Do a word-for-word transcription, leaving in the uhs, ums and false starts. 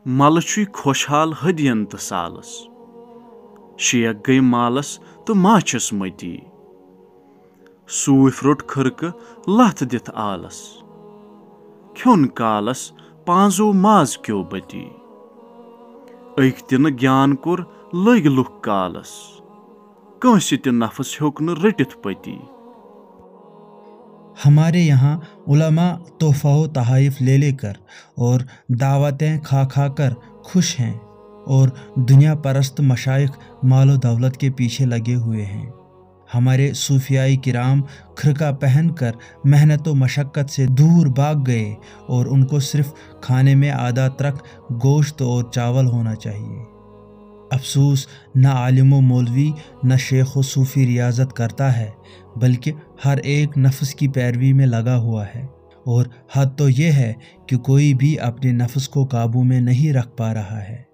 ملہٕ چھُے خۄشحال ہدین تہٕ سالس۔ شیخ گٔے مالس تہٕ ماچھس متی۔ صوٗفۍ روٚٹ خرقہٕ لتھ دِتھ آلس۔ کھیوٚن کالس پانزو ماز کیو بتی۔ أکۍ تہِ نہٕ گیان کوٚر لٔگۍ لُکھ کالس۔ کٲنٛسہِ تہِ نفس ہیوٚک نہٕ رٔٹِتھ پتی۔ ہمارے یہاں علماء تحفہ و تحائف لے لے کر اور دعوتیں کھا کھا کر خوش ہیں، اور دنیا پرست مشائخ مال و دولت کے پیچھے لگے ہوئے ہیں۔ ہمارے صوفیائی کرام خرقہ پہن کر محنت و مشقت سے دور بھاگ گئے، اور ان کو صرف کھانے میں آدھا ترک گوشت اور چاول ہونا چاہیے۔ افسوس، نہ عالم و مولوی، نہ شیخ و صوفی ریاضت کرتا ہے، بلکہ ہر ایک نفس کی پیروی میں لگا ہوا ہے۔ اور حد تو یہ ہے کہ کوئی بھی اپنے نفس کو قابو میں نہیں رکھ پا رہا ہے۔